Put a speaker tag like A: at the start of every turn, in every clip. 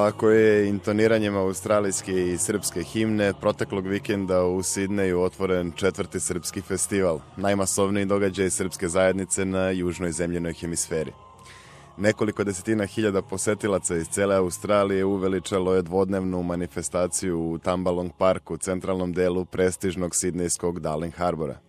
A: Ovako je intoniranjem australijske i srpske himne proteklog vikenda u Sidneju otvoren 4. srpski festival, najmasovniji događaj srpske zajednice na južnoj zemljenoj hemisferi. Nekoliko desetina hiljada posetilaca iz cele Australije uveličalo je dvodnevnu manifestaciju u Tambalong parku, centralnom delu prestižnog sidnejskog Darling Harbora.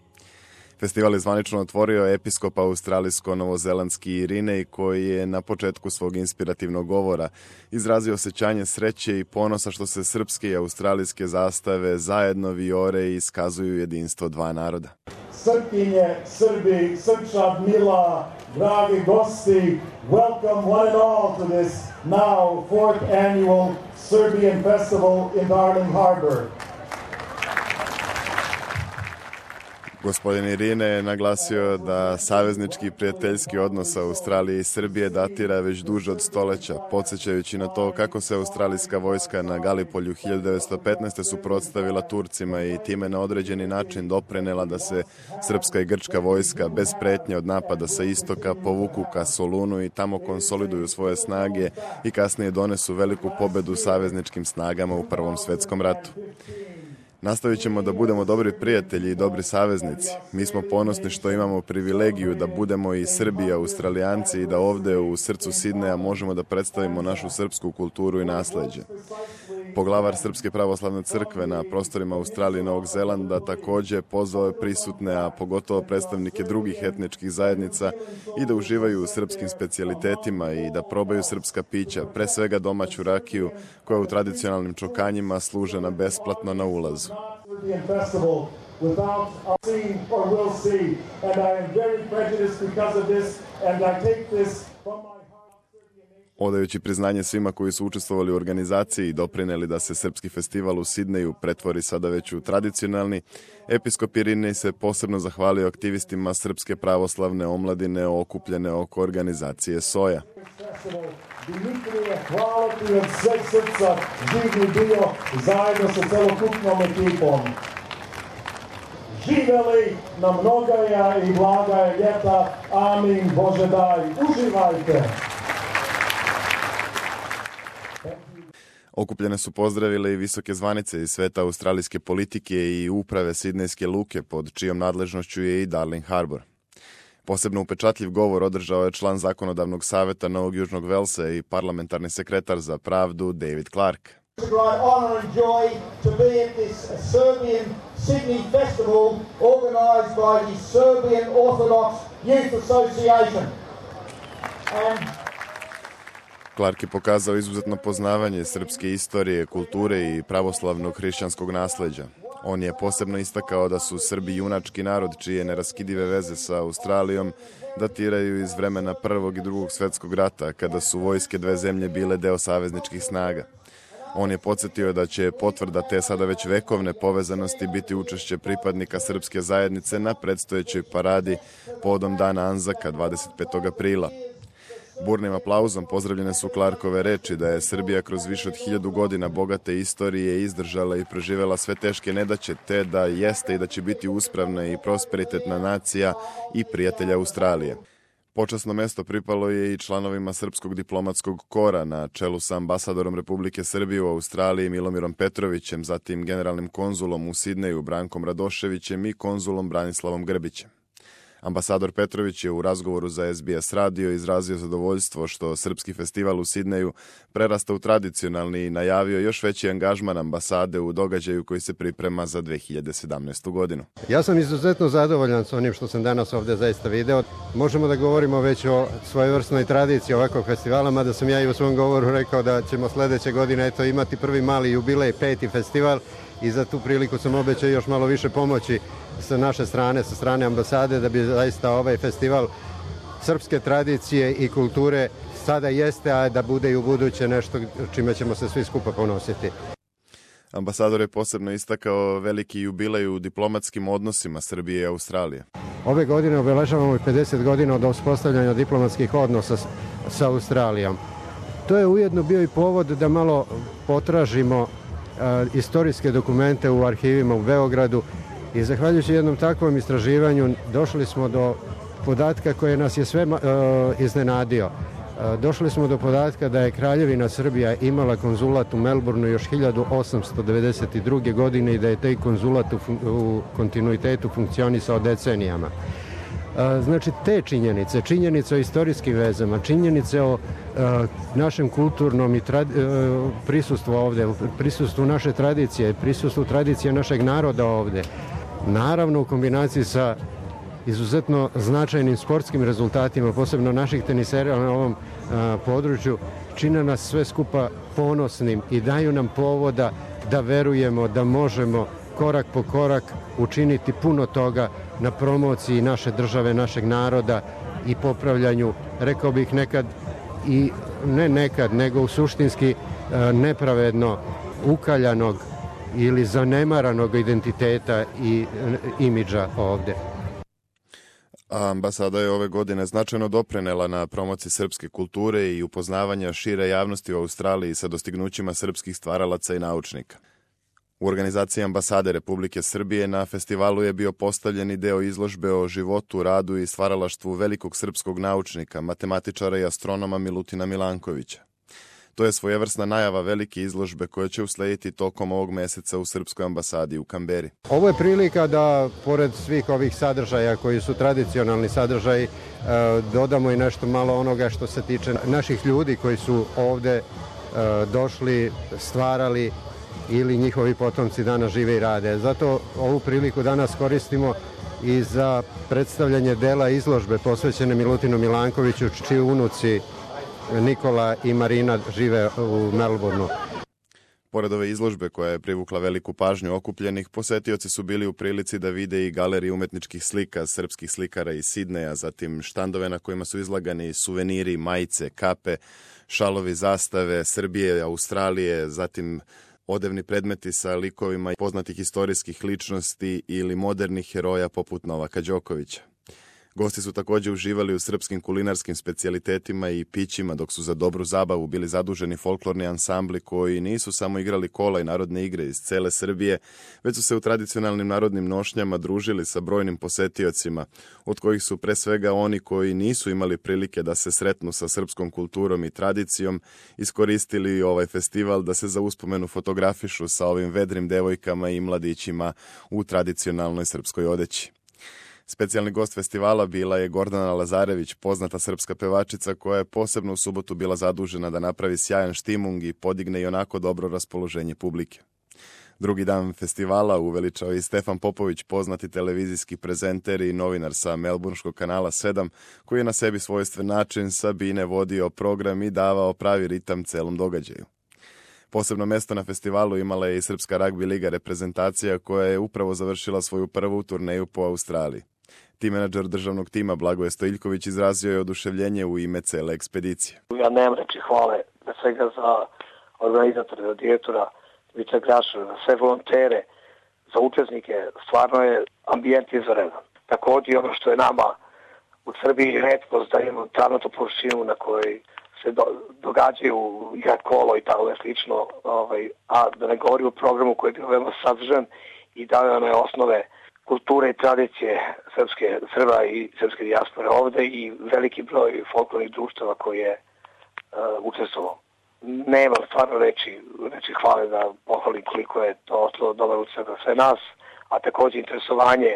A: Festival je zvanično otvorio episkop australijsko-novozelandski Irinej, koji je na početku svog inspirativnog govora izrazio osjećanje sreće i ponosa što se srpske i australijske zastave zajedno vijore i iskazuju jedinstvo dva naroda.
B: Srpkinje, Srbi, Srpčad, Mila, dragi gosti, welcome one and all to this now 4th annual Serbian Festival in Darling Harbor.
A: Gospodin Irine je naglasio da saveznički i prijateljski odnos Australije i Srbije datira već duže od stoleća, podsjećajući na to kako se australijska vojska na Galipolju 1915. suprotstavila Turcima i time na određeni način doprinela da se srpska i grčka vojska bez pretnje od napada sa istoka povuku ka Solunu i tamo konsoliduju svoje snage i kasnije donesu veliku pobedu savezničkim snagama u Prvom svetskom ratu. Nastavit ćemo da budemo dobri prijatelji i dobri saveznici. Mi smo ponosni što imamo privilegiju da budemo i Srbi i Australijanci i da ovde u srcu Sidneja možemo da predstavimo našu srpsku kulturu i nasleđe. Poglavar Srpske pravoslavne crkve na prostorima Australije i Novog Zelanda takođe pozvao je prisutne, a pogotovo predstavnike drugih etničkih zajednica i da uživaju u srpskim specijalitetima i da probaju srpska pića, pre svega domaću rakiju koja u tradicionalnim čokanjima služena besplatno na ulazu. Odajući priznanje svima koji su učestvovali u organizaciji i doprineli da se srpski festival u Sidneju pretvori sada već u tradicionalni, episkop Irinej se posebno zahvalio aktivistima Srpske pravoslavne omladine okupljene oko organizacije SOJA.
B: Dimitrije, hvala ti od sveg srca, živni bio zajedno sa celokupnom ekipom. Živeli na mnogaja i blagaja ljeta, amin, Bože daj, uživajte!
A: Okupljene su pozdravile i visoke zvanice iz sveta australijske politike i uprave Sidnejske luke, pod čijom nadležnošću je i Darling Harbor. Posebno upečatljiv govor održao je član zakonodavnog saveta Novog Južnog Velsa i parlamentarni sekretar za pravdu David Clark. Clark je pokazao izuzetno poznavanje srpske istorije, kulture i pravoslavnog hrišćanskog nasleđa. On je posebno istakao da su Srbi junački narod čije neraskidive veze sa Australijom datiraju iz vremena Prvog i Drugog svjetskog rata, kada su vojske dve zemlje bile deo savezničkih snaga. On je podsjetio da će potvrda te sada već vekovne povezanosti biti učešće pripadnika srpske zajednice na predstojećoj paradi povodom Dana Anzaka 25. aprila. Burnim aplauzom pozdravljene su Clarkove reči da je Srbija kroz više od 1000 godina bogate istorije izdržala i preživela sve teške nedaće, te da jeste i da će biti uspravna i prosperitetna nacija i prijatelja Australije. Počasno mesto pripalo je i članovima Srpskog diplomatskog kora na čelu sa ambasadorom Republike Srbije u Australiji Milomirom Petrovićem, zatim generalnim konzulom u Sidneju Brankom Radoševićem i konzulom Branislavom Grbićem. Ambasador Petrović je u razgovoru za SBS radio izrazio zadovoljstvo što srpski festival u Sidneju prerasta u tradicionalni i najavio još veći angažman ambasade u događaju koji se priprema za 2017. godinu.
C: Ja sam izuzetno zadovoljan s onim što sam danas ovdje zaista video. Možemo da govorimo već o svojevrsnoj tradiciji ovakvog festivala, mada sam ja i u svom govoru rekao da ćemo sljedeće godine imati prvi mali jubilej, 5. festival, i za tu priliku sam obećao još malo više pomoći sa naše strane, sa strane ambasade, da bi zaista ovaj festival srpske tradicije i kulture sada jeste, a da bude i u buduće nešto čime ćemo se svi skupa ponositi.
A: Ambasador je posebno istakao veliki jubilej u diplomatskim odnosima Srbije i Australije.
C: Ove godine obeležavamo 50 godina od uspostavljanja diplomatskih odnosa sa Australijom. To je ujedno bio i povod da malo potražimo istorijske dokumente u arhivima u Beogradu i zahvaljujući jednom takvom istraživanju došli smo do podatka koji nas je sve iznenadio. Došli smo do podatka da je Kraljevina Srbija imala konzulat u Melbourneu još 1892. godine i da je taj konzulat u kontinuitetu funkcionisao decenijama. Znači te činjenice o istorijskim vezama, činjenice o našem kulturnom i prisustvu ovde, prisustvu naše tradicije, prisustvu tradicije našeg naroda ovde, naravno u kombinaciji sa izuzetno značajnim sportskim rezultatima, posebno naših tenisera na ovom području, čine nas sve skupa ponosnim i daju nam povoda da verujemo da možemo korak po korak učiniti puno toga na promociji naše države, našeg naroda i popravljanju, rekao bih nekad i ne nekad, nego u suštinski nepravedno ukaljanog ili zanemaranog identiteta i imidža ovde.
A: Ambasada je ove godine značajno doprinela na promociji srpske kulture i upoznavanja šire javnosti u Australiji sa dostignućima srpskih stvaralaca i naučnika. U organizaciji Ambasade Republike Srbije na festivalu je bio postavljeni deo izložbe o životu, radu i stvaralaštvu velikog srpskog naučnika, matematičara i astronoma Milutina Milankovića. To je svojevrsna najava velike izložbe koja će uslediti tokom ovog meseca u Srpskoj ambasadi u Kamberi.
C: Ovo je prilika da, pored svih ovih sadržaja koji su tradicionalni sadržaji, dodamo i nešto malo onoga što se tiče naših ljudi koji su ovde došli, stvarali ili njihovi potomci danas žive i rade. Zato ovu priliku danas koristimo i za predstavljanje dela izložbe posvećene Milutinu Milankoviću, čiji unuci Nikola i Marina žive u Melbourneu.
A: Pored ove izložbe koja je privukla veliku pažnju okupljenih, posetioci su bili u prilici da vide i galerije umetničkih slika srpskih slikara iz Sidneja, zatim štandove na kojima su izlagani suveniri, majice, kape, šalovi, zastave Srbije, Australije, zatim odevni predmeti sa likovima poznatih istorijskih ličnosti ili modernih heroja poput Novaka Đokovića. Gosti su također uživali u srpskim kulinarskim specijalitetima i pićima, dok su za dobru zabavu bili zaduženi folklorni ansambli koji nisu samo igrali kola i narodne igre iz cele Srbije, već su se u tradicionalnim narodnim nošnjama družili sa brojnim posetiocima, od kojih su pre svega oni koji nisu imali prilike da se sretnu sa srpskom kulturom i tradicijom, iskoristili ovaj festival da se za uspomenu fotografišu sa ovim vedrim devojkama i mladićima u tradicionalnoj srpskoj odeći. Specijalni gost festivala bila je Gordana Lazarević, poznata srpska pevačica koja je posebno u subotu bila zadužena da napravi sjajan štimung i podigne i onako dobro raspoloženje publike. Drugi dan festivala uveličao i Stefan Popović, poznati televizijski prezenter i novinar sa Melbourneškog kanala 7, koji je na sebi svojstven način Sabine vodio program i davao pravi ritam celom događaju. Posebno mesto na festivalu imala je i Srpska ragbi liga reprezentacija koja je upravo završila svoju prvu turneju po Australiji. Tim menadžer državnog tima Blagoje Stojiljković izrazio je oduševljenje u ime cele ekspedicije.
D: Ja nemam reći hvale na svega za organizatore, za direktora Vica Grašara, za sve volontere, za učesnike. Stvarno je ambijent izvanredan. Također ono što je nama u Srbiji retkost da imamo travnatu površinu na kojoj se događaju igrat kolo i tako slično, a da ne govori o programu koji je bio veoma sadržan i dao je one osnove kulture i tradicije Srba i srpske dijaspore ovde i veliki broj folklornih društava koji je učestvovao. Nema stvarno reći hvale da pohvalim koliko je to ostalo dobar utisak za sve nas, a također interesovanje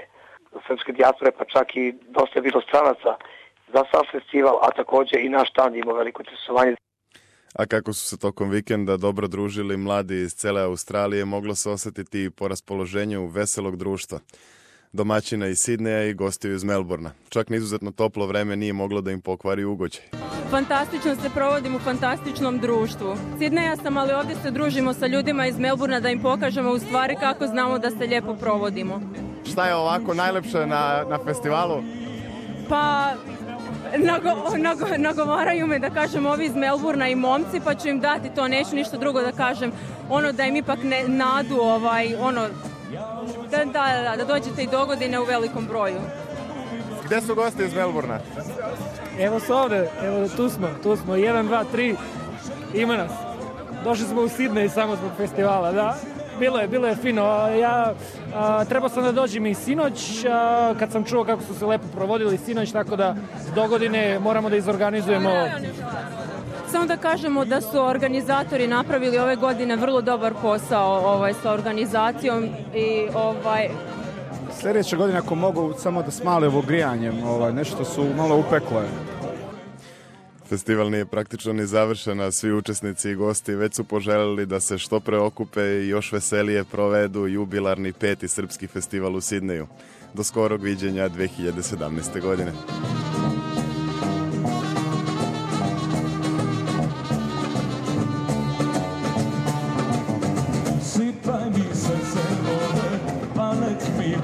D: srpske dijaspore, pa čak i dosta je bilo stranaca za sam festival, a također i naš štand ima veliko interesovanje.
A: A kako su se tokom vikenda dobro družili mladi iz cele Australije, moglo se osjetiti po raspoloženju veselog društva. Domaćina iz Sidneja i gostiju iz Melbourna. Čak ni izuzetno toplo vreme nije moglo da im pokvari ugođaj.
E: Fantastično se provodim u fantastičnom društvu. Sidneja sam, ali ovdje se družimo sa ljudima iz Melbourna da im pokažemo u stvari kako znamo da se lijepo provodimo.
A: Šta je ovako najlepše na festivalu?
E: Pa nagovaraju me da kažem ovi iz Melbourna i momci, pa ću im dati to, neću ništa drugo da kažem, da im ipak nadu, da dođete i dogodine u velikom broju.
A: Gde su gosti iz Melbourna?
F: Evo su ovde, tu smo, 1, 2, 3, ima nas. Došli smo u Sidney samo zbog festivala, da. Bilo je fino. Trebao sam da dođem i sinoć, kad sam čuo kako su se lepo provodili sinoć, tako da do godine moramo da izorganizujemo.
E: Samo da kažemo da su organizatori napravili ove godine vrlo dobar posao sa organizacijom i
G: sljedeće godine ako mogu samo da smale ovo grijanjem, nešto su malo upekle.
A: Festival nije praktično ni završen, a svi učesnici i gosti već su poželjeli da se što pre okupe i još veselije provedu jubilarni 5. srpski festival u Sidneju. Do skorog viđenja 2017. godine.
H: Sipaj mi srce vode, palet mi